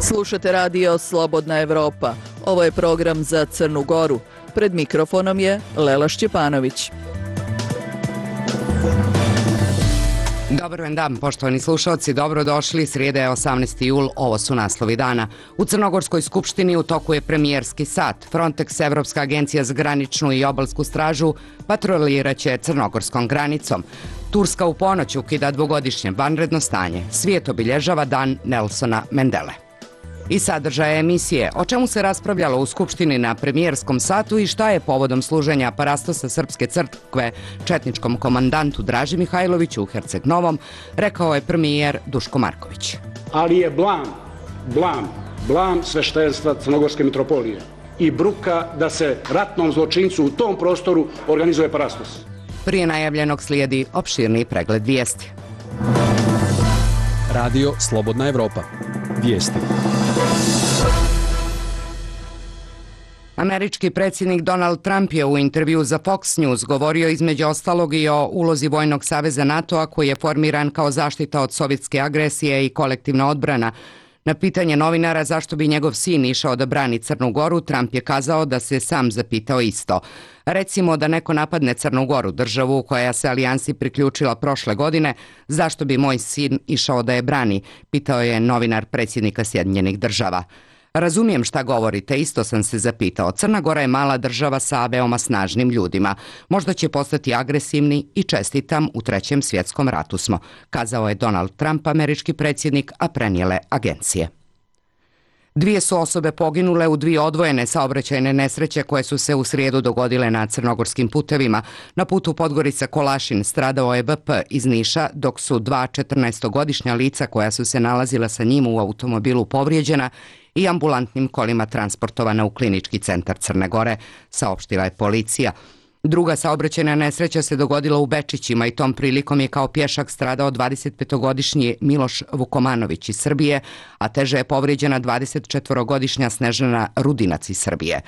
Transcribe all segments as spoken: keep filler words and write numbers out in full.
Slušate radio Slobodna Evropa. Ovo je program za Crnu Goru. Pred mikrofonom je Lela Šćepanović. Dobar vam dan, poštovani slušalci, dobrodošli. Srijeda je osamnaesti jul, ovo su naslovi dana. U Crnogorskoj skupštini u toku je premijerski sat. Frontex, Evropska agencija za graničnu i obalsku stražu, patroliraće crnogorskom granicom. Turska u ponoć ukida dvogodišnje vanredno stanje. Svijet obilježava dan Nelsona Mendele. I sadržaje emisije, o čemu se raspravljalo u Skupštini na premijerskom satu i šta je povodom služenja parastosa Srpske crkve četničkom komandantu Draži Mihajloviću u Herceg Novom, rekao je premijer Duško Marković. Ali je blam, blam, blam sveštenstva Crnogorske mitropolije i bruka da se ratnom zločincu u tom prostoru organizuje parastos. Prije najavljenog slijedi opširni pregled vijesti. Radio Slobodna Evropa. Vijesti. Američki predsjednik Donald Trump je u intervju za Fox News govorio između ostalog i o ulozi Vojnog saveza NATO-a koji je formiran kao zaštita od sovjetske agresije i kolektivna odbrana. Na pitanje novinara zašto bi njegov sin išao da brani Crnu Goru, Trump je kazao da se sam zapitao isto. Recimo da neko napadne Crnu Goru, državu koja se alijansi priključila prošle godine, zašto bi moj sin išao da je brani, pitao je novinar predsjednika Sjedinjenih država. Razumijem šta govorite, isto sam se zapitao. Crna Gora je mala država sa veoma snažnim ljudima. Možda će postati agresivni i čestitam, u trećem svjetskom ratu smo, kazao je Donald Trump, američki predsjednik, a prenijele agencije. Dvije su osobe poginule u dvije odvojene saobraćajne nesreće koje su se u srijedu dogodile na crnogorskim putevima. Na putu Podgorica-Kolašin stradao je V P iz Niša, dok su dva četrnaestogodišnja lica koja su se nalazila sa njim u automobilu povrijeđena i ambulantnim kolima transportovana u klinički centar Crne Gore, saopštila je policija. Druga saobraćajna nesreća se dogodila u Bečićima i tom prilikom je kao pješak stradao dvadesetpetogodišnji Miloš Vukomanović iz Srbije, a teže je povrijeđena dvadesetčetvorogodišnja Snežana Rudinac iz Srbije.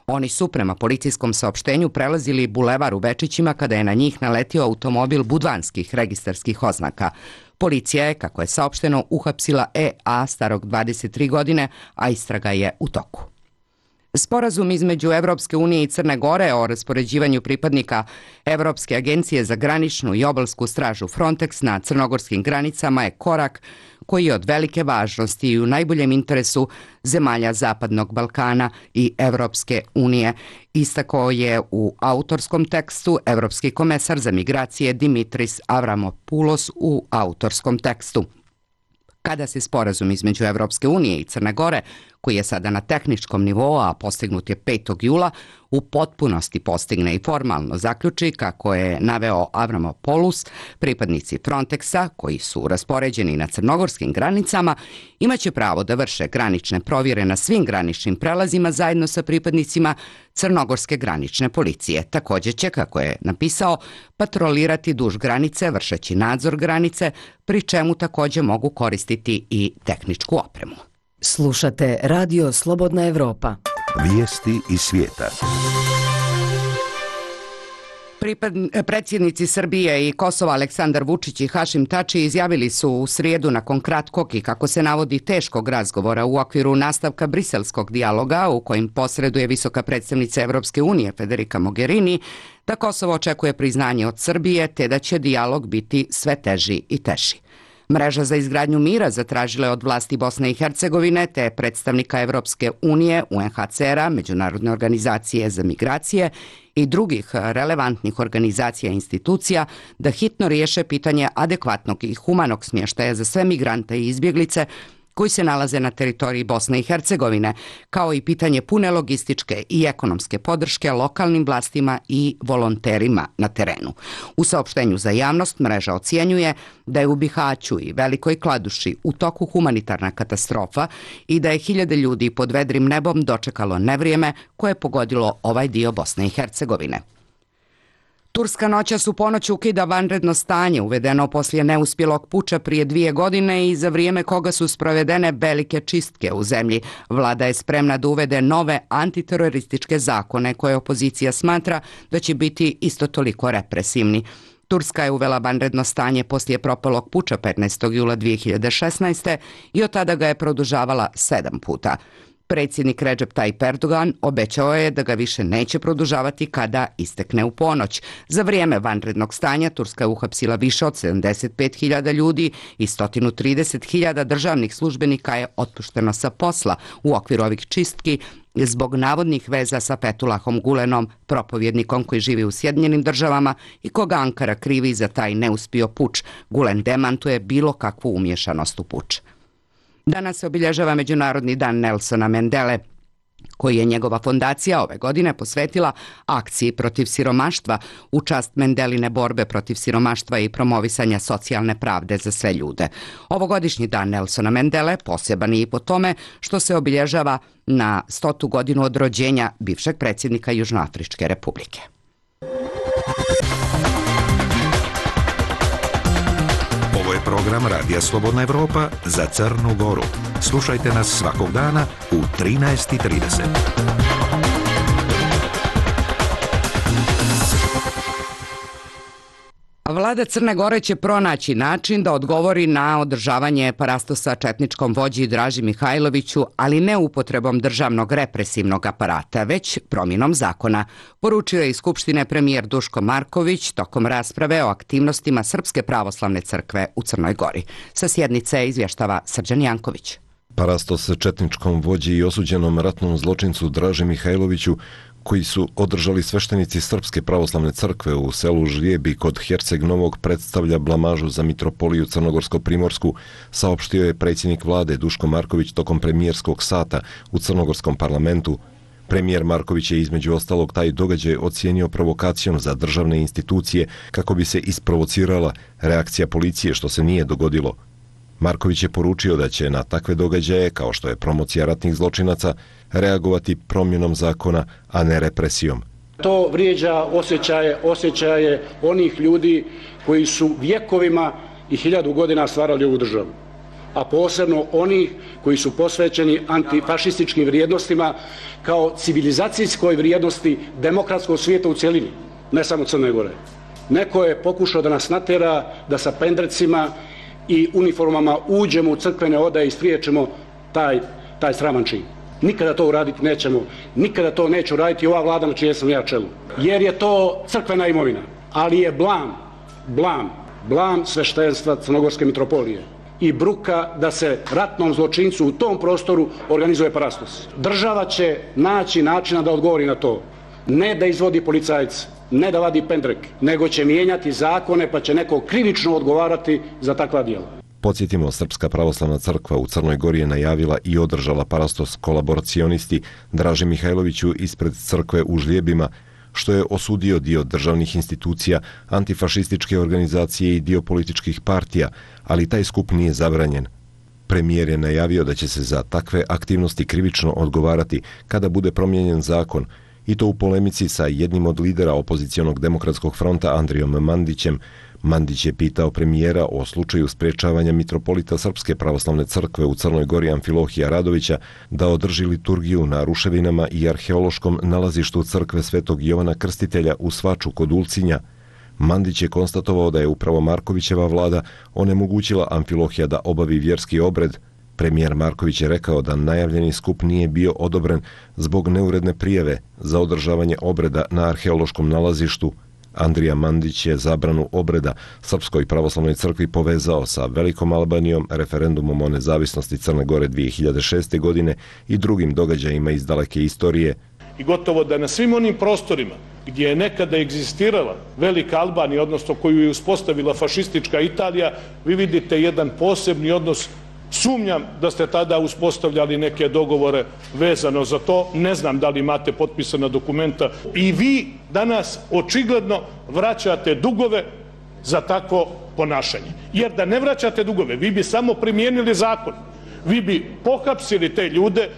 Oni su prema policijskom saopštenju prelazili bulevar u Bečićima kada je na njih naletio automobil budvanskih registarskih oznaka. Policija je, kako je saopšteno, uhapsila E A starog dvadeset tri godine, a istraga je u toku. Sporazum između Evropske unije i Crne Gore o raspoređivanju pripadnika Evropske agencije za graničnu i obalsku stražu Frontex na crnogorskim granicama je korak koji je od velike važnosti i u najboljem interesu zemalja Zapadnog Balkana i Evropske unije, istakao je u autorskom tekstu evropski komesar za migracije Dimitris Avramopoulos u autorskom tekstu. Kada se sporazum između Evropske unije i Crne Gore, koji je sada na tehničkom nivou, a postignut je petog jula, u potpunosti postigne i formalno zaključi, kako je naveo Avramopoulos, pripadnici Frontexa, koji su raspoređeni na crnogorskim granicama, imaće pravo da vrše granične provjere na svim graničnim prelazima zajedno sa pripadnicima crnogorske granične policije. Također će, kako je napisao, patrolirati duž granice, vršeći nadzor granice, pri čemu također mogu koristiti i tehničku opremu. Slušate radio Slobodna Evropa. Vijesti iz svijeta. Pripad, predsjednici Srbije i Kosova Aleksandar Vučić i Hašim Tači izjavili su u srijedu nakon kratkog i, kako se navodi, teškog razgovora u okviru nastavka briselskog dijaloga u kojim posreduje visoka predstavnica Evropske unije Federica Mogherini, da Kosovo očekuje priznanje od Srbije te da će dijalog biti sve teži i teži. Mreža za izgradnju mira zatražila je od vlasti Bosne i Hercegovine te predstavnika Evropske unije, U N H C R-a, Međunarodne organizacije za migracije i drugih relevantnih organizacija i institucija da hitno riješe pitanje adekvatnog i humanog smještaja za sve migrante i izbjeglice koji se nalaze na teritoriji Bosne i Hercegovine, kao i pitanje pune logističke i ekonomske podrške lokalnim vlastima i volonterima na terenu. U saopštenju za javnost mreža ocjenjuje da je u Bihaću i Velikoj Kladuši u toku humanitarna katastrofa i da je hiljade ljudi pod vedrim nebom dočekalo nevrijeme koje je pogodilo ovaj dio Bosne i Hercegovine. Turska noćas u ponoć ukida vanredno stanje uvedeno poslije neuspjelog puča prije dvije godine i za vrijeme koga su sprovedene velike čistke u zemlji. Vlada je spremna da uvede nove antiterorističke zakone koje opozicija smatra da će biti isto toliko represivni. Turska je uvela vanredno stanje poslije propalog puča petnaestog jula dvije hiljade šesnaeste. i od tada ga je produžavala sedam puta. Predsjednik Recep Tayyip Erdogan obećao je da ga više neće produžavati kada istekne u ponoć. Za vrijeme vanrednog stanja Turska je uhapsila više od sedamdeset pet hiljada ljudi i sto trideset hiljada državnih službenika je otpušteno sa posla u okviru ovih čistki zbog navodnih veza sa Fethullahom Gulenom, propovjednikom koji živi u Sjedinjenim državama i koga Ankara krivi za taj neuspio puč. Gulen demantuje bilo kakvu umješanost u puč. Danas se obilježava Međunarodni dan Nelsona Mandele, koji je njegova fondacija ove godine posvetila akciji protiv siromaštva u čast Mandeline borbe protiv siromaštva i promovisanja socijalne pravde za sve ljude. Ovogodišnji dan Nelsona Mandele poseban je i po tome što se obilježava na stotu godinu od rođenja bivšeg predsjednika Južnoafričke republike. Ovo je program Radija Slobodna Evropa za Crnu Goru. Slušajte nas svakog dana u trinaest i trideset. Vlada Crne Gore će pronaći način da odgovori na održavanje parastosa četničkom vođi Draži Mihajloviću, ali ne upotrebom državnog represivnog aparata, već promjenom zakona, poručio je iz Skupštine premijer Duško Marković tokom rasprave o aktivnostima Srpske pravoslavne crkve u Crnoj Gori. Sa sjednice izvještava Srđan Janković. Parastos četničkom vođi i osuđenom ratnom zločincu Draži Mihajloviću, koji su održali sveštenici Srpske pravoslavne crkve u selu Žlijebi kod Herceg Novog, predstavlja blamažu za mitropoliju Crnogorsko-Primorsku, saopštio je predsjednik vlade Duško Marković tokom premijerskog sata u Crnogorskom parlamentu. Premijer Marković je između ostalog taj događaj ocijenio provokacijom za državne institucije kako bi se isprovocirala reakcija policije, što se nije dogodilo. Marković je poručio da će na takve događaje, kao što je promocija ratnih zločinaca, reagovati promjenom zakona, a ne represijom. To vrijeđa osjećaje, osjećaje onih ljudi koji su vjekovima i hiljadu godina stvarali ovu državu. A posebno onih koji su posvećeni antifašističkim vrijednostima kao civilizacijskoj vrijednosti demokratskog svijeta u cjelini, ne samo Crne Gore. Neko je pokušao da nas natjera da sa pendrecima i uniformama uđemo u crkvene odaje i spriječimo taj, taj sraman čin. Nikada to uraditi nećemo, nikada to neće uraditi ova vlada na čijem sam ja čelu. Jer je to crkvena imovina, ali je blam, blam, blam sveštenstva Crnogorske mitropolije i bruka da se ratnom zločincu u tom prostoru organizuje parastos. Država će naći načina da odgovori na to. Ne da izvodi policajce, ne da vadi pendrek, nego će mijenjati zakone pa će neko krivično odgovarati za takva djela. Podsjetimo, Srpska pravoslavna crkva u Crnoj Gori je najavila i održala parastos kolaboracionisti Draži Mihajloviću ispred crkve u Žlijebima, što je osudio dio državnih institucija, antifašističke organizacije i dio političkih partija, ali taj skup nije zabranjen. Premijer je najavio da će se za takve aktivnosti krivično odgovarati kada bude promijenjen zakon, i to u polemici sa jednim od lidera opozicionog demokratskog fronta Andrijom Mandićem. Mandić je pitao premijera o slučaju sprječavanja mitropolita Srpske pravoslavne crkve u Crnoj Gori Amfilohija Radovića da održi liturgiju na ruševinama i arheološkom nalazištu crkve Svetog Jovana Krstitelja u Svaču kod Ulcinja. Mandić je konstatovao da je upravo Markovićeva vlada onemogućila Amfilohija da obavi vjerski obred. Premijer Marković je rekao da najavljeni skup nije bio odobren zbog neuredne prijave za održavanje obreda na arheološkom nalazištu. Andrija Mandić je zabranu obreda Srpskoj pravoslavnoj crkvi povezao sa Velikom Albanijom, referendumom o nezavisnosti Crne Gore dvije hiljade šeste. godine i drugim događajima iz daleke istorije. I gotovo da na svim onim prostorima gdje je nekada egzistirala Velika Albanija, odnosno koju je uspostavila fašistička Italija, vi vidite jedan posebni odnos. Sumnjam da ste tada uspostavljali neke dogovore vezano za to. Ne znam da li imate potpisana dokumenta. I vi danas očigledno vraćate dugove za takvo ponašanje. Jer da ne vraćate dugove, vi bi samo primijenili zakon. Vi bi pohapsili te ljude,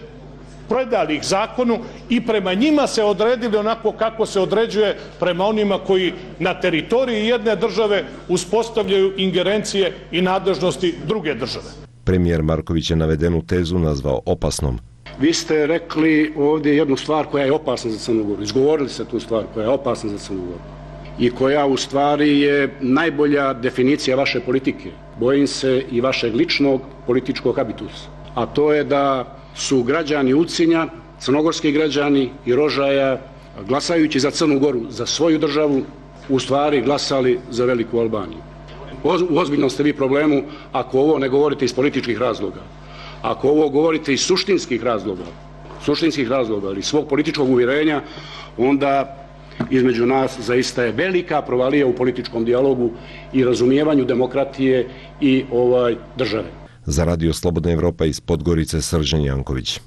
predali ih zakonu i prema njima se odredili onako kako se određuje prema onima koji na teritoriji jedne države uspostavljaju ingerencije i nadležnosti druge države. Premijer Marković je navedenu tezu nazvao opasnom. Vi ste rekli ovdje jednu stvar koja je opasna za Crnu Goru. Izgovorili ste tu stvar koja je opasna za Crnu Goru. i koja u stvari je najbolja definicija vaše politike. Bojim se i vašeg ličnog političkog habitusa. A to je da su građani Ulcinja, crnogorski građani i Rožaja, glasajući za Crnu Goru, za svoju državu, u stvari glasali za Veliku Albaniju. U ozbiljnom ste vi problemu ako ovo ne govorite iz političkih razloga. Ako ovo govorite iz suštinskih razloga, suštinskih razloga ili svog političkog uvjerenja, onda između nas zaista je velika provalija u političkom dijalogu i razumijevanju demokratije i ovaj države. Za Radio Slobodna Evropa iz Podgorice Srđan Janković.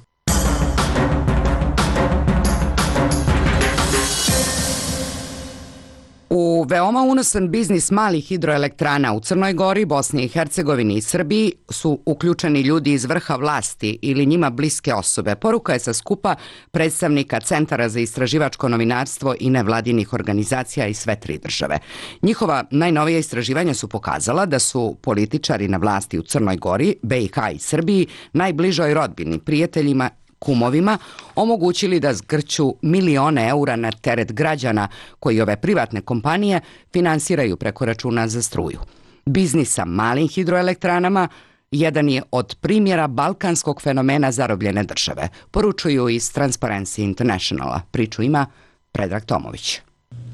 U veoma unosan biznis malih hidroelektrana u Crnoj Gori, Bosni i Hercegovini i Srbiji su uključeni ljudi iz vrha vlasti ili njima bliske osobe. Poruka je sa skupa predstavnika Centara za istraživačko novinarstvo i nevladinih organizacija iz sve tri države. Njihova najnovija istraživanja su pokazala da su političari na vlasti u Crnoj Gori, B i H i Srbiji najbližoj rodbini, prijateljima, kumovima omogućili da zgrću milione eura na teret građana koji ove privatne kompanije finansiraju preko računa za struju. Biznis sa malim hidroelektranama jedan je od primjera balkanskog fenomena zarobljene države, poručuju iz Transparency Internationala. Priču ima Predrag Tomović.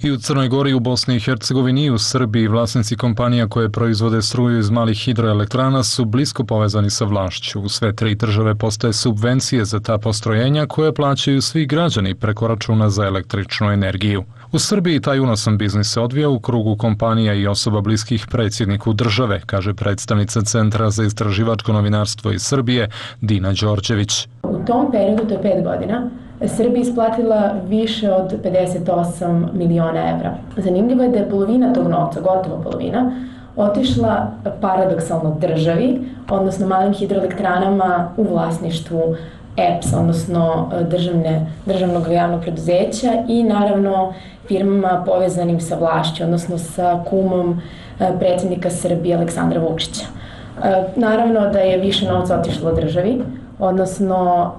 I u Crnoj Gori, u Bosni i Hercegovini i u Srbiji vlasnici kompanija koje proizvode struju iz malih hidroelektrana su blisko povezani sa vlašću. U sve tri države postoje subvencije za ta postrojenja koje plaćaju svi građani preko računa za električnu energiju. U Srbiji taj unosan biznis se odvija u krugu kompanija i osoba bliskih predsjedniku države, kaže predstavnica Centra za istraživačko novinarstvo iz Srbije Dina Đorđević. U tom periodu, to je pet godina, Srbija isplatila više od pedeset osam miliona evra. Zanimljivo je da je polovina tog novca, gotovo polovina, otišla paradoksalno državi, odnosno malim hidroelektranama u vlasništvu E P S, odnosno državne, državnog javnog preduzeća i naravno firmama povezanim sa vlašću, odnosno sa kumom predsjednika Srbije Aleksandra Vučića. Naravno da je više novca otišlo državi, odnosno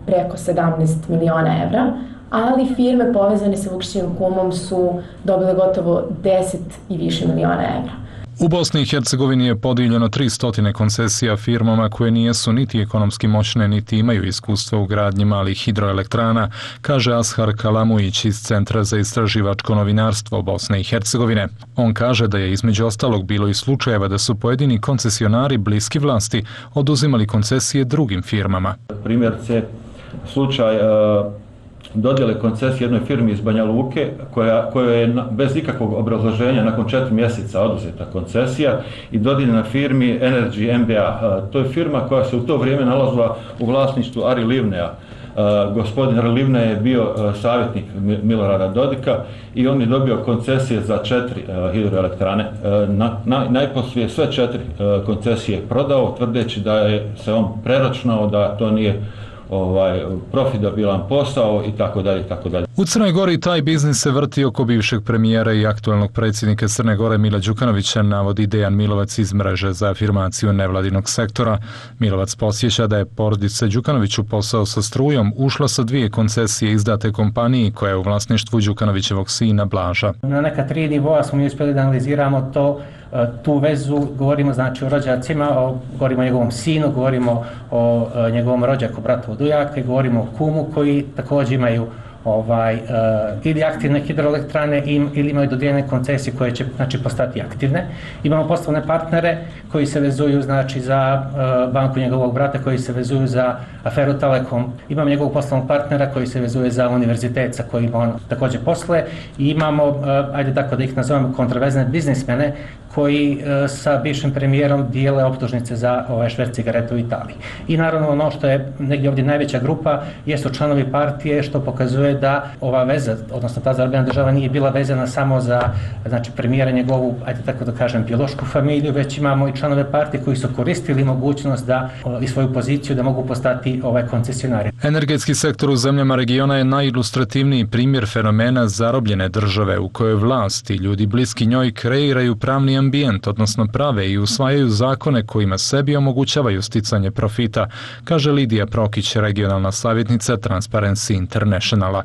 preko sedamnaest miliona evra, ali firme povezane sa Vučićevim kumom su dobile gotovo deset i više miliona evra. U Bosni i Hercegovini je podijeljeno tristo koncesija firmama koje nijesu niti ekonomski moćne, niti imaju iskustva u gradnji malih hidroelektrana, kaže Ashar Kalamujić iz Centra za istraživačko novinarstvo Bosne i Hercegovine. On kaže da je između ostalog bilo i slučajeva da su pojedini koncesionari bliski vlasti oduzimali koncesije drugim firmama. Primjerice, slučaj uh... dodjele koncesije jednoj firmi iz Banja Luke, koja, koja je bez ikakvog obrazloženja nakon četiri mjeseca oduzeta koncesija i dodijeljena firmi Energy M B A. To je firma koja se u to vrijeme nalazila u vlasništvu Ari Livneja. Gospodin Ari Livne je bio savjetnik Milorada Dodika i on je dobio koncesije za četiri hidroelektrane. Na, na, najposlije sve četiri koncesije prodao, tvrdeći da je se on preračunao, da to nije ovaj profitabilan posao i tako dalje i tako dalje. U Crnoj Gori taj biznis se vrti oko bivšeg premijera i aktualnog predsjednika Crne Gore Mila Đukanovića, navodi Dejan Milovac iz mreže za afirmaciju nevladinog sektora. Milovac posjeća da je porodica Đukanoviću posao sa strujom ušla sa dvije koncesije izdate kompaniji koja je u vlasništvu Đukanovićevog sina Blaža. Na neka tri nivoa smo mi uspjeli da analiziramo to, tu vezu, govorimo znači o rođacima, o, govorimo o njegovom sinu, govorimo o, o njegovom rođaku, bratu od ujaka, govorimo o kumu koji također imaju ovaj, uh, ili aktivne hidroelektrane im, ili imaju dodijeljene koncesije koje će znači, postati aktivne. Imamo poslovne partnere koji se vezuju znači, za uh, banku njegovog brata, koji se vezuju za aferu Telekom. Imamo njegovog poslovnog partnera koji se vezuje za univerzitet sa kojim on također posluje. I imamo, uh, ajde tako da ih nazovemo, kontraverzne biznismene koji uh, sa bivšim premijerom dijele optužnice za ove šverc cigareta u Italiji. I naravno ono što je negdje ovdje najveća grupa jesu članovi partije, što pokazuje da ova veza, odnosno ta zarobljena država nije bila vezana samo za znači, premijera njegovu, ajde tako da kažem, biološku familiju, već imamo i članove partije koji su koristili mogućnost da i svoju poziciju da mogu postati ovaj koncesionari. Energetski sektor u zemljama regiona je najilustrativniji primjer fenomena zarobljene države u kojoj vlasti, ljudi bliski njoj kreiraju pravni ambijent, odnosno prave i usvajaju zakone kojima sebi omogućavaju sticanje profita, kaže Lidija Prokić, regionalna savjetnica Transparency Internationala.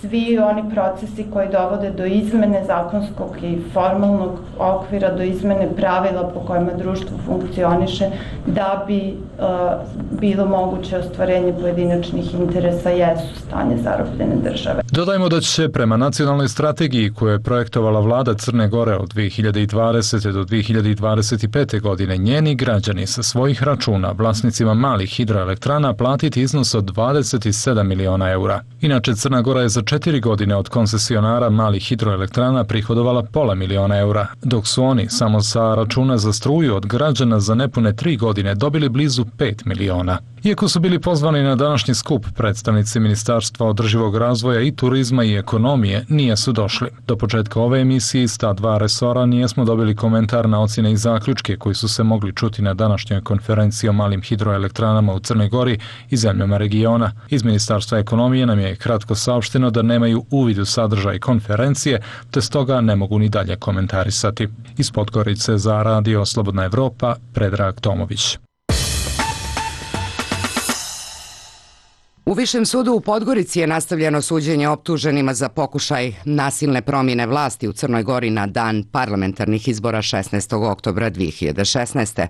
svi oni procesi koji dovode do izmene zakonskog i formalnog okvira, do izmene pravila po kojima društvo funkcioniše, da bi uh, bilo moguće ostvarenje pojedinačnih interesa, jesu stanje zarobljene države. Dodajmo da će prema nacionalnoj strategiji koju je projektovala vlada Crne Gore od dve hiljade dvadesete do dve hiljade dvadeset pete godine njeni građani sa svojih računa vlasnicima malih hidroelektrana platiti iznos od dvadeset sedam miliona eura. Inače, Crna Gora je za četiri godine od koncesionara malih hidroelektrana prihodovala pola miliona eura, dok su oni samo sa računa za struju od građana za nepune tri godine dobili blizu pet miliona. Iako su bili pozvani na današnji skup, predstavnici Ministarstva održivog razvoja i turizma i ekonomije nijesu došli. Do početka ove emisije iz ta dva resora nijesmo dobili komentar na ocjene i zaključke koji su se mogli čuti na današnjoj konferenciji o malim hidroelektranama u Crnoj Gori i zemljama regiona. Iz Ministarstva ekonomije nam je kratko saopšteno da nemaju uvid u sadržaj konferencije, te stoga ne mogu ni dalje komentarisati. Iz Podgorice za Radio Slobodna Evropa, Predrag Tomović. U Višem sudu u Podgorici je nastavljeno suđenje optuženima za pokušaj nasilne promjene vlasti u Crnoj Gori na dan parlamentarnih izbora šesnaestog oktobra dve hiljade šesnaeste.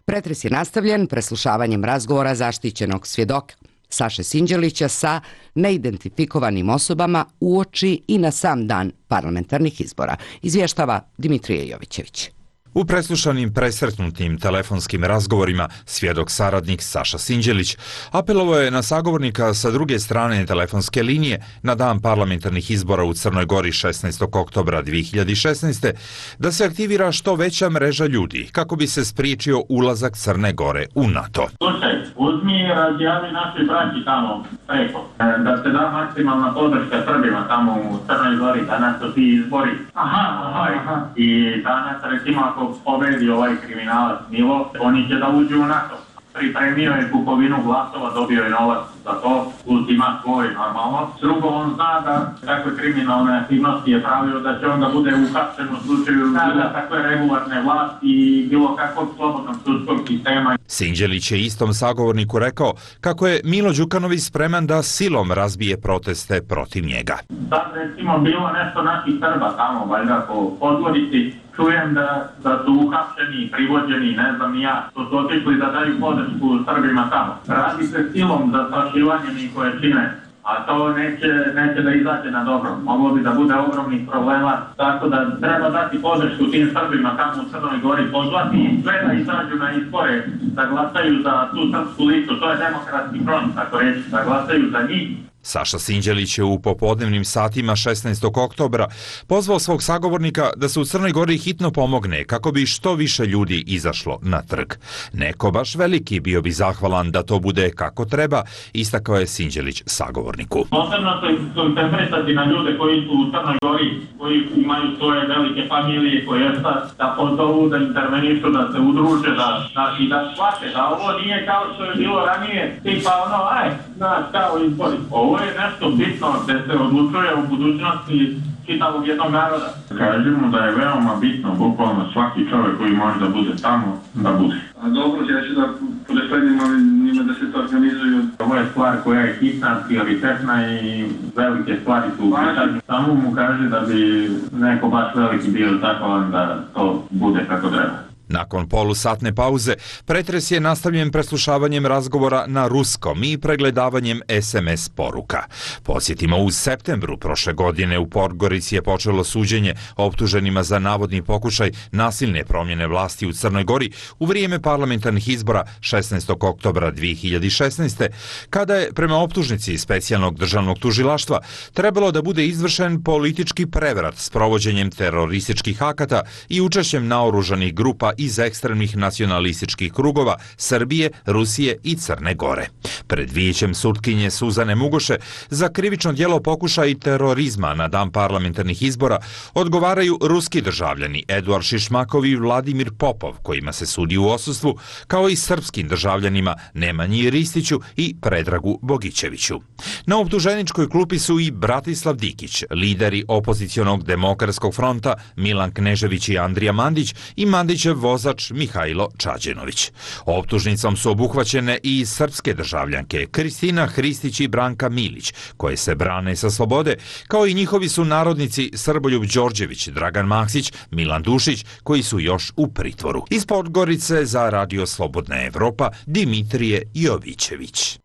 Pretres je nastavljen preslušavanjem razgovora zaštićenog svjedoka Saše Sinđelića sa neidentifikovanim osobama uoči i na sam dan parlamentarnih izbora, izvještava Dimitrije Jovićević. U preslušanim presretnutim telefonskim razgovorima svjedok saradnik Saša Sinđelić apelovao je na sagovornika sa druge strane telefonske linije na dan parlamentarnih izbora u Crnoj Gori šesnaestog oktobra dve hiljade šesnaeste da se aktivira što veća mreža ljudi kako bi se spriječio ulazak Crne Gore u NATO. Slušaj, uzmi i razjavi našoj braći tamo preko, da se da maksimalna podrška Srbima tamo u Crnoj Gori, danas su ti izbori. Aha, aha. I danas recimo ako pobedi ovaj kriminalac Milo, oni će da uđu u NATO. Pripremio je kupovinu glasova, dobio je novac za to, ultima svoj normalno. Drugo, on zna da takve kriminalne aktivnosti je pravio da će onda bude uhapšen u slučaju bilo takve regularne vlasti i bilo kakvog slobodnog sudskog sistema. Sinđelić je istom sagovorniku rekao kako je Milo Đukanović spreman da silom razbije proteste protiv njega. Sad recimo bilo nešto naših Srba tamo, valjda po Podgorici, čujem da, da su uhapšeni, privođeni, ne znam ni ja, što su otišli da daju podršku Srbima tamo. Radi se silom za sašivanje njihove čine, a to neće, neće da izađe na dobro. Moglo bi da bude ogromnih problema, tako da treba dati podršku tim Srbima tamo u Crnoj Gori, pozvati i sve da izađu na izbore, da glasaju za tu srpsku listu, to je demokratski front, tako reći, da glasaju za njih. Saša Sinđelić je u popodnevnim satima šesnaestog oktobra pozvao svog sagovornika da se u Crnoj Gori hitno pomogne kako bi što više ljudi izašlo na trg. Neko baš veliki bio bi zahvalan da to bude kako treba, istakao je Sinđelić sagovorniku. Posebno se koncentrisati na ljude koji su u Crnoj Gori, koji imaju svoje velike familije, koje da pozovu, da intervenišu, da se udruže, da, da, i da shvate da ovo nije kao što je bilo ranije, tipa ono, aj, znaš, kao izbori. Ovo je nešto bitno da se odlučuje u budućnosti čitavog jednog naroda. Kažemo da je veoma bitno, bukvalno svaki čovjek koji može da bude tamo, da bude. A dobro, ja ću da podesledim, ali njima da se to organizuju. Ovo je stvar koja je hitna, prioritetna i velike stvari su u pitanju. Samo mu kaže da bi neko baš veliki bio zahvalan da to bude kako treba. Nakon polusatne pauze, pretres je nastavljen preslušavanjem razgovora na ruskom i pregledavanjem es em es poruka. Podsjetimo, u septembru prošle godine u Podgorici je počelo suđenje optuženima za navodni pokušaj nasilne promjene vlasti u Crnoj Gori u vrijeme parlamentarnih izbora šesnaestog oktobra dve hiljade šesnaeste, kada je prema optužnici specijalnog državnog tužilaštva trebalo da bude izvršen politički prevrat s provođenjem terorističkih akata i učešćem naoružanih grupa iz ekstremnih nacionalističkih krugova Srbije, Rusije i Crne Gore. Pred vijećem sutkinje Suzane Mugoše za krivično djelo pokušaj terorizma na dan parlamentarnih izbora odgovaraju ruski državljani Eduard Šišmakov i Vladimir Popov, kojima se sudi u odsustvu, kao i srpskim državljanima Nemanji Ristiću i Predragu Bogićeviću. Na optuženičkoj klupi su i Bratislav Dikić, lideri opozicionog demokratskog fronta Milan Knežević i Andrija Mandić i Mandićev vozač Mihajlo Čađenović. Optužnicom su obuhvaćene i srpske državljanke hrišćanke Kristina Hristić i Branka Milić, koje se brane sa slobode, kao i njihovi su narodnici Srboljub Đorđević, Dragan Maksić, Milan Dušić, koji su još u pritvoru. Iz Podgorice za Radio Slobodna Evropa, Dimitrije Jovićević.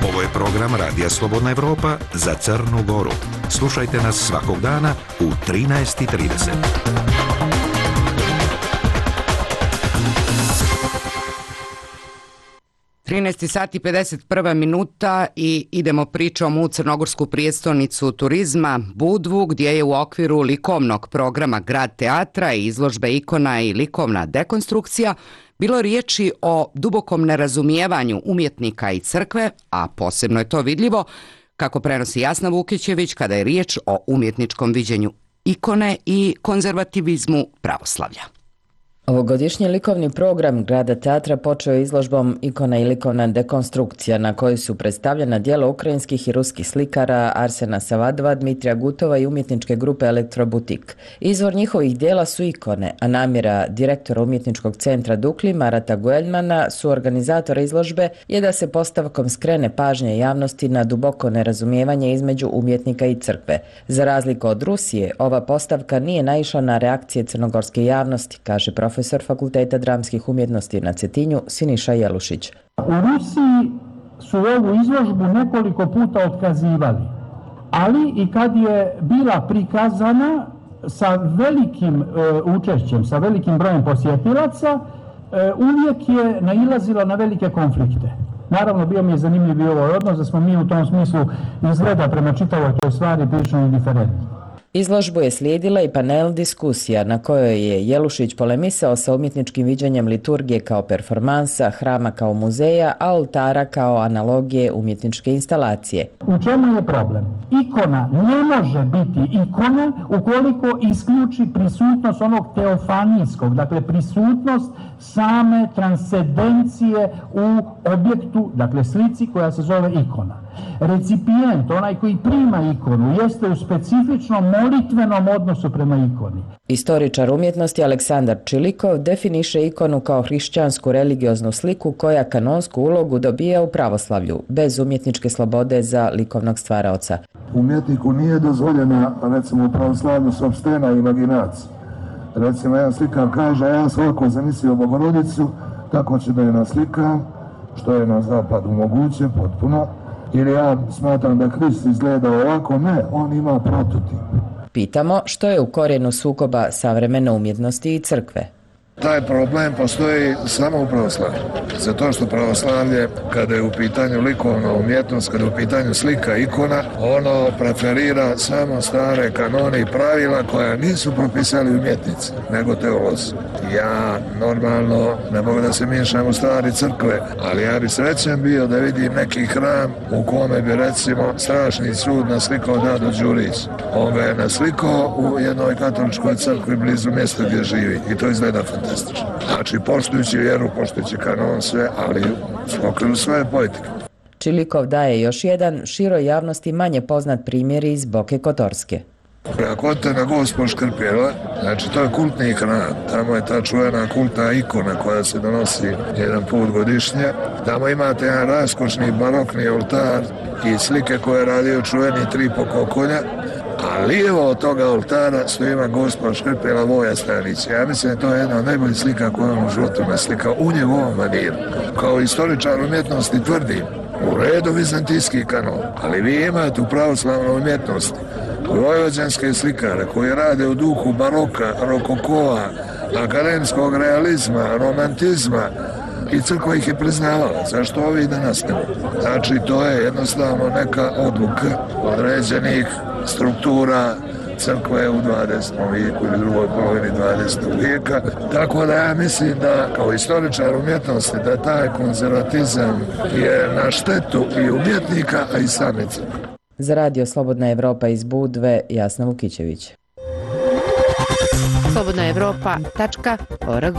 Ovo je program Radija Slobodna Evropa za Crnu Goru. Slušajte nas svakog dana u trinaest i trideset. trinaest sati pedeset prva minuta i idemo pričom u crnogorsku prijestolnicu turizma Budvu, gdje je u okviru likovnog programa Grad teatra i izložbe ikona i likovna dekonstrukcija bilo riječi o dubokom nerazumijevanju umjetnika i crkve, a posebno je to vidljivo, kako prenosi Jasna Vukićević, kada je riječ o umjetničkom viđenju ikone i konzervativizmu pravoslavlja. Ovogodišnji likovni program Grada teatra počeo je izložbom Ikona i likovna dekonstrukcija, na kojoj su predstavljena djela ukrajinskih i ruskih slikara Arsena Savadova, Dmitrija Gutova i umjetničke grupe Elektrobutik. Izvor njihovih djela su ikone, a namjera direktora umjetničkog centra Dukli, Marata Gueljmana, su organizatora izložbe, je da se postavkom skrene pažnje javnosti na duboko nerazumijevanje između umjetnika i crkve. Za razliku od Rusije, ova postavka nije naišla na reakcije crnogorske javnosti, kaže profesor profesor Fakulteta dramskih umjetnosti na Cetinju Siniša Jelušić. U Rusiji su ovu izložbu nekoliko puta otkazivali, ali i kad je bila prikazana sa velikim e, učešćem, sa velikim brojem posjetilaca, e, uvijek je nailazila na velike konflikte. Naravno, bio mi je zanimljiv i ovaj odnos, da smo mi u tom smislu izgleda prema čitavoj toj stvari prilično indiferentni. Izložbu je slijedila i panel diskusija na kojoj je Jelušić polemisao sa umjetničkim viđenjem liturgije kao performansa, hrama kao muzeja, a oltara kao analogije umjetničke instalacije. U čemu je problem? Ikona ne može biti ikona ukoliko isključi prisutnost onog teofanijskog, dakle prisutnost same transcendencije u objektu, dakle slici koja se zove ikona. Recipijent, onaj koji prima ikonu, jeste u specifičnom molitvenom odnosu prema ikoni. Istoričar umjetnosti Aleksandar Čilikov definiše ikonu kao hrišćansku religioznu sliku koja kanonsku ulogu dobija u pravoslavlju, bez umjetničke slobode za likovnog stvaraoca. Umjetniku nije dozvoljena, recimo u pravoslavlju, sopstvena imaginacija. Recimo, jedan slikar kaže, ja svako zamislio Bogorodicu, kako će da je naslikam, što je na zapadu moguće, potpuno. Ili ja smatram da Krist izgleda ovako, ne, on ima prototip. Pitamo što je u korijenu sukoba savremene umjetnosti i crkve. Taj problem postoji samo u pravoslavlju. Zato što pravoslavlje, kada je u pitanju likovna umjetnost, kada je u pitanju slika, ikona, ono preferira samo stare kanone i pravila koja nisu propisali umjetnici, nego teolozi. Ja normalno ne mogu da se miješam u stvari crkve, ali ja bi srećan bio da vidim neki hram u kome bi recimo strašni sud naslikao Dado Đurić. On ga je naslikao u jednoj katoličkoj crkvi blizu mjesta gdje živi i to izgleda fantastično. Znači, poštujući vjeru, poštujući kanon, sve, ali u okviru svoje poetike. Čilikov daje još jedan široj javnosti manje poznat primjer iz Boke Kotorske. Ako odete na Gospo Škrpjela, znači to je kultni hram, tamo je ta čuvena kultna ikona koja se donosi jedan put godišnje, tamo imate jedan raskošni barokni oltar i slike koje je radio čuveni Tripo Kokolja, a lijevo od toga oltara stoji ima Gospa Škrpjela Voja Stanić. Ja mislim da to je jedna od najboljih slika koju on u životu naslikao u njegovom maniru. Kao istoričar umjetnosti tvrdim, u redu vizantijski kanon, ali vi imate u pravoslavnoj umjetnosti vojvođanske slikare koji rade u duhu baroka, rokokova, akademskog realizma, romantizma i crkva ih je priznavala. Zašto ovi danas ne? Znači, to je jednostavno neka odluka određenih struktura crkve u dvadesetom vijeku ili drugoj polovini dvadesetog vijeka. Tako da ja mislim da kao istoričar umjetnosti da taj konzervatizam je na štetu i umjetnika, a i same crkve. Za Radio Slobodna Evropa iz Budve, Jasna Vukićević. slobodna evropa tačka org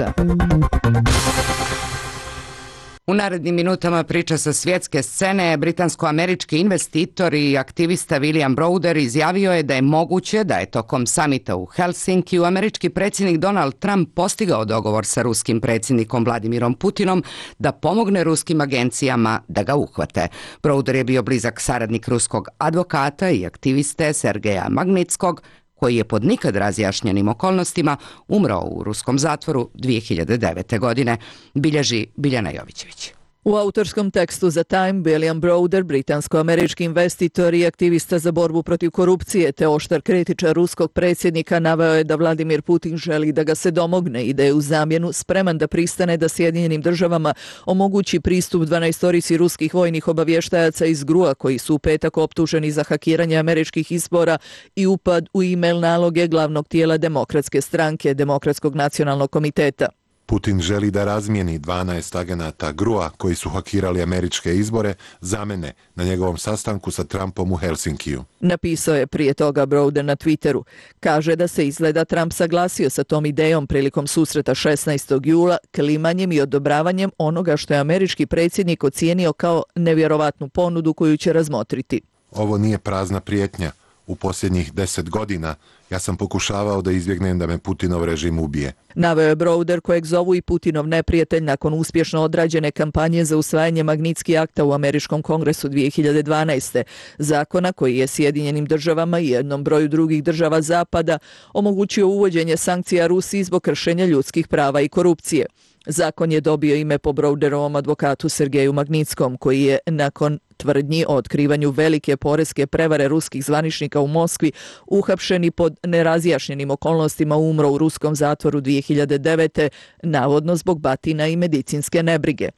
U narednim minutama priča sa svjetske scene. Britansko-američki investitor i aktivista William Browder izjavio je da je moguće da je tokom samita u Helsinkiju američki predsjednik Donald Trump postigao dogovor sa ruskim predsjednikom Vladimirom Putinom da pomogne ruskim agencijama da ga uhvate. Browder je bio blizak saradnik ruskog advokata i aktiviste Sergeja Magnitskog, koji je pod nikad razjašnjenim okolnostima umro u ruskom zatvoru dvije hiljade devete. godine, bilježi Biljana Jovićević. U autorskom tekstu za Time, William Browder, britansko-američki investitor i aktivista za borbu protiv korupcije te oštar kritičar ruskog predsjednika, naveo je da Vladimir Putin želi da ga se domogne i da je u zamjenu spreman da pristane da Sjedinjenim državama omogući pristup dvanaestorici ruskih vojnih obavještajaca iz G R U-a koji su u petak optuženi za hakiranje američkih izbora i upad u e-mail naloge glavnog tijela Demokratske stranke, Demokratskog nacionalnog komiteta. Putin želi da razmijeni dvanaest agenata G R U-a koji su hakirali američke izbore za mene na njegovom sastanku sa Trumpom u Helsinkiju. Napisao je prije toga Browder na Twitteru. Kaže da se izgleda Trump saglasio sa tom idejom prilikom susreta šesnaestog jula klimanjem i odobravanjem onoga što je američki predsjednik ocijenio kao nevjerovatnu ponudu koju će razmotriti. Ovo nije prazna prijetnja. U posljednjih deset godina ja sam pokušavao da izbjegnem da me Putinov režim ubije. Naveo je Browder, kojeg zovu i Putinov neprijatelj nakon uspješno odrađene kampanje za usvajanje Magnitski akta u Američkom kongresu dvije hiljade dvanaeste. Zakona koji je Sjedinjenim državama i jednom broju drugih država Zapada omogućio uvođenje sankcija Rusiji zbog kršenja ljudskih prava i korupcije. Zakon je dobio ime po Browderovom advokatu Sergeju Magnitskom, koji je nakon tvrdnji o otkrivanju velike poreske prevare ruskih zvaničnika u Moskvi uhapšeni pod nerazjašnjenim okolnostima umro u ruskom zatvoru dvije hiljade devete. navodno zbog batina i medicinske nebrige.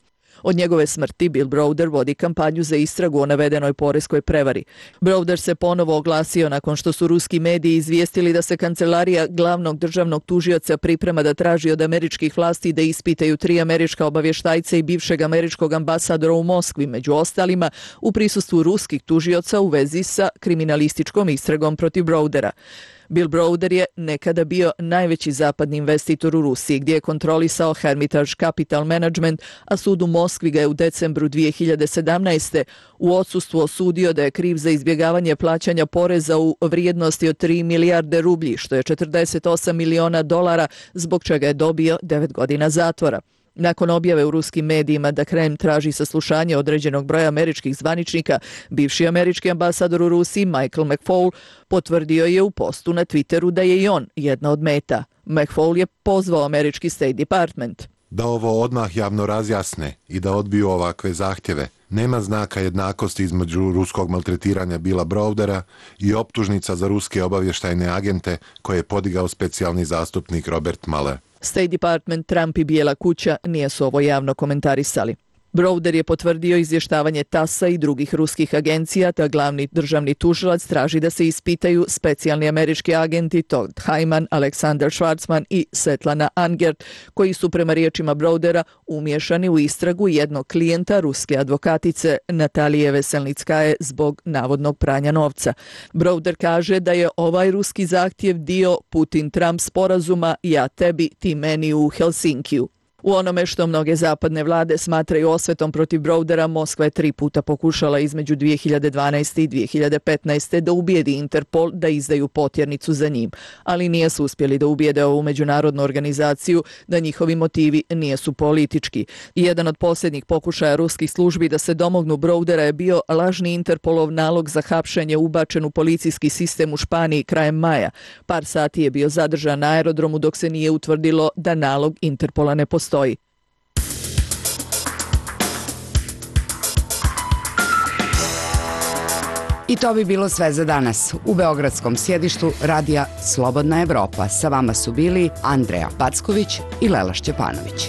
Od njegove smrti Bill Browder vodi kampanju za istragu o navedenoj poreskoj prevari. Browder se ponovo oglasio nakon što su ruski mediji izvijestili da se kancelarija glavnog državnog tužioca priprema da traži od američkih vlasti da ispitaju tri američka obavještajca i bivšeg američkog ambasadora u Moskvi, među ostalima u prisustvu ruskih tužioca u vezi sa kriminalističkom istragom protiv Browdera. Bill Browder je nekada bio najveći zapadni investitor u Rusiji, gdje je kontrolisao Hermitage Capital Management, a sud u Moskvi ga je u decembru dvije hiljade sedamnaeste. u odsustvu osudio da je kriv za izbjegavanje plaćanja poreza u vrijednosti od tri milijarde rublji, što je četrdeset osam miliona dolara, zbog čega je dobio devet godina zatvora. Nakon objave u ruskim medijima da Kreml traži saslušanje određenog broja američkih zvaničnika, bivši američki ambasador u Rusiji Michael McFaul potvrdio je u postu na Twitteru da je i on jedna od meta. McFaul je pozvao američki State Department da ovo odmah javno razjasne i da odbiju ovakve zahtjeve. Nema znaka jednakosti između ruskog maltretiranja Billa Browdera i optužnica za ruske obavještajne agente koje je podigao specijalni zastupnik Robert Mueller. State Department, Trump i Bijela kuća nisu ovo javno komentarisali. Browder je potvrdio izvještavanje tasa i drugih ruskih agencija, te glavni državni tužilac traži da se ispitaju specijalni američki agenti Todd Hyman, Aleksandar Schwarzman i Svetlana Angert, koji su prema riječima Browdera umješani u istragu jednog klijenta ruske advokatice Natalije Veselnickaje zbog navodnog pranja novca. Browder kaže da je ovaj ruski zahtjev dio Putin-Trump sporazuma ja tebi, ti meni u Helsinkiju. U onome što mnoge zapadne vlade smatraju osvetom protiv Browdera, Moskva je tri puta pokušala između dvije hiljade dvanaeste i dvije hiljade petnaeste. da ubijedi Interpol da izdaju potjernicu za njim, ali nije su uspjeli da ubijede ovu međunarodnu organizaciju da njihovi motivi nisu politički. Jedan od posljednjih pokušaja ruskih službi da se domognu Browdera je bio lažni Interpolov nalog za hapšenje ubačen u policijski sistem u Španiji krajem maja. Par sati je bio zadržan na aerodromu dok se nije utvrdilo da nalog Interpola ne postoji. I to bi bilo sve za danas. U beogradskom sjedištu radija Slobodna Evropa sa vama su bili Andreja Packović i Lela Šćepanović.